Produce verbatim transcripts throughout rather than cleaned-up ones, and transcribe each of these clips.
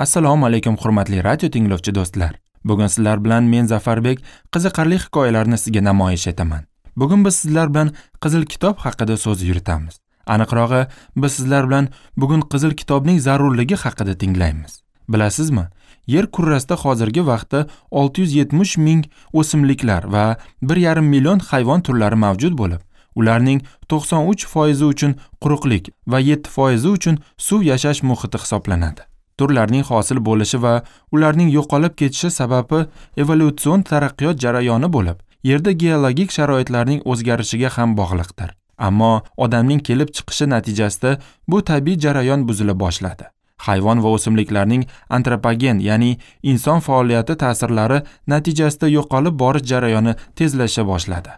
Assalomu alaykum hurmatli radio tinglovchi do'stlar. Bugun sizlar bilan men Zafarbek qiziqarli hikoyalarni sizga namoyish etaman. Bugun biz sizlar bilan Qizil kitob haqida so'z yuritamiz. Aniqrog'i, biz sizlar bilan bugun Qizil kitobning zarurligi haqida tinglaymiz. Bilasizmi, yer kurrasida hozirgi vaqtda olti yuz yetmish ming o'simliklar va bir yarim million hayvon turlari mavjud bo'lib, ularning to'qson uch foizi uchun quruqlik va yetti foizi uchun suv yashash muhiti hisoblanadi. Turlarning hosil bo'lishi va ularning yo'qolib ketishi sababi evolyutsion taraqqiyot jarayoni bo'lib, yerda geologik sharoitlarning o'zgarishiga ham bog'liqdir. Ammo odamning kelib chiqishi natijasida bu tabiiy jarayon buzila boshladi. Hayvon va o'simliklarning antropogen, ya'ni inson faoliyati ta'sirlari natijasida yo'qolib borish jarayoni tezlasha boshladi.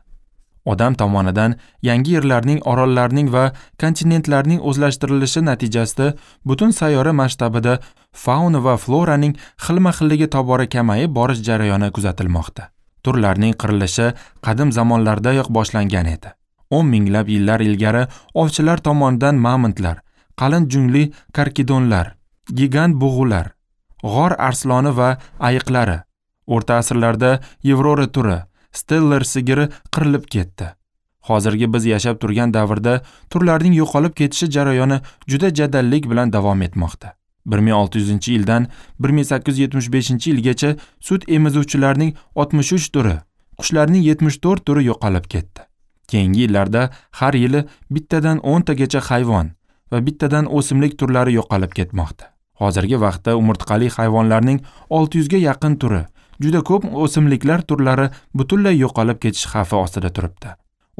Odam tomonidan yangi yerlarning, orollarning va kontinentlarning o'zlashtirilishi natijasida butun sayyora masshtabida fauna va floraning xilma-xilligi tobora kamayib borish jarayoni kuzatilmoqda. Turlarning qirilishi qadim zamonlardayoq boshlangan edi. o'n minglab yillar ilgari ovchilar tomonidan mamontlar, qalin jungli karkidonlar, gigant bug'ular, g'or arsloni va ayiqlari, o'rta asrlarda Yevropa turi, Steller sigiri qirilib ketdi. Hozirgi biz yashab turgan davrda turlarning yo'qolib ketishi jarayoni juda jadallik bilan davom etmoqda. bir ming olti yuzinchi yildan bir ming sakkiz yuz yetmish beshinchi yilgacha sut emizuvchilarning oltmish uch turi, qushlarning yetmish to'rt turi yo'qolib ketdi. Keyingi yillarda har yili bittadan o'ntagacha hayvon va bittadan o'simlik turlari yo'qolib ketmoqda. Hozirgi vaqtda umurtqali hayvonlarning olti yuzga yaqin turi, juda ko'p o'simliklar turlari butunlay yo'qolib ketish xavfi ostida turibdi.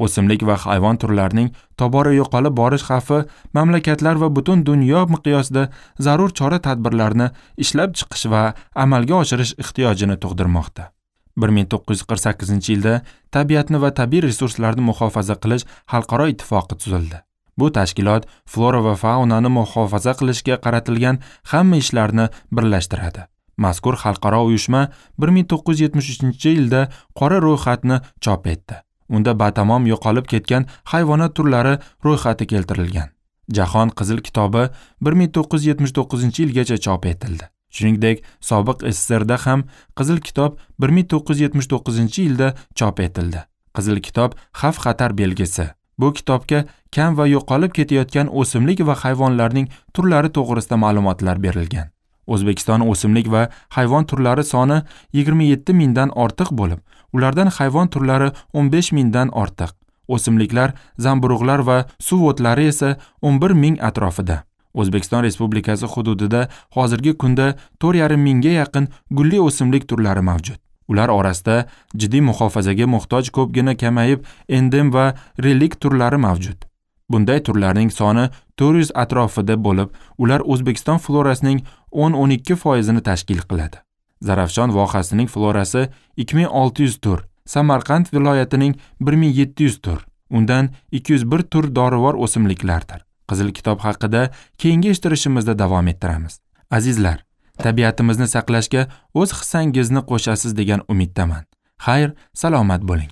O'simlik va hayvon turlarining tobora yo'qolib borish xavfi mamlakatlar va butun dunyo miqyosida zarur chora-tadbirlarni ishlab chiqish va amalga oshirish ehtiyojini tug'dirmoqda. bir ming to'qqiz yuz qirq sakkizinchi yilda tabiatni va tabiiy resurslarni muhofaza qilish xalqaro ittifoqi tuzildi. Bu tashkilot flora va faunani muhofaza qilishga qaratilgan hamma ishlarni birlashtiradi. Mazkur xalqaro uyushma bir ming to'qqiz yuz yetmish uchinchi yilda qora ro'yxatni chop etdi. Unda batamom yo'qolib ketgan hayvonot turlari ro'yxati keltirilgan. Jahon Qizil kitobi bir ming to'qqiz yuz yetmish to'qqizinchi yilgacha chop etildi. Shuningdek, sobiq S S S Rda ham Qizil kitob bir ming to'qqiz yuz yetmish to'qqizinchi yilda chop etildi. Qizil kitob xavf-xatar belgisi. Bu kitobga kam va yo'qolib ketayotgan o'simlik va hayvonlarning turlari to'g'risida ma'lumotlar berilgan. O'zbekiston o'simlik va hayvon turlari soni yigirma yetti mingdan ortiq bo'lib, ulardan hayvon turlari o'n besh mingdan ortiq, o'simliklar, zamburug'lar va suv o'tlari esa o'n bir ming atrofida. O'zbekiston Respublikasi hududida hozirgi kunda to'rt yarim mingga yaqin gulli o'simlik turlari mavjud. Ular orasida jiddiy muhofazaga muhtoj ko'pgina kamayib endem va relik turlari mavjud. Bunday turlarning soni to'rt yuz atrofida bo'lib, ular O'zbekiston florasining o'n-o'n ikki foizini tashkil qiladi. Zarafshon vohasining florasi ikki ming olti yuz tur, Samarqand viloyatining bir ming yetti yuz tur, undan ikki yuz bir tur dorivor o'simliklardir. Qizil kitob haqida keyingi eshittirishimizda davom ettiramiz. Azizlar, tabiatimizni saqlashga o'z hissangizni qo'shasiz degan umiddaman. Xayr, salomat bo'ling.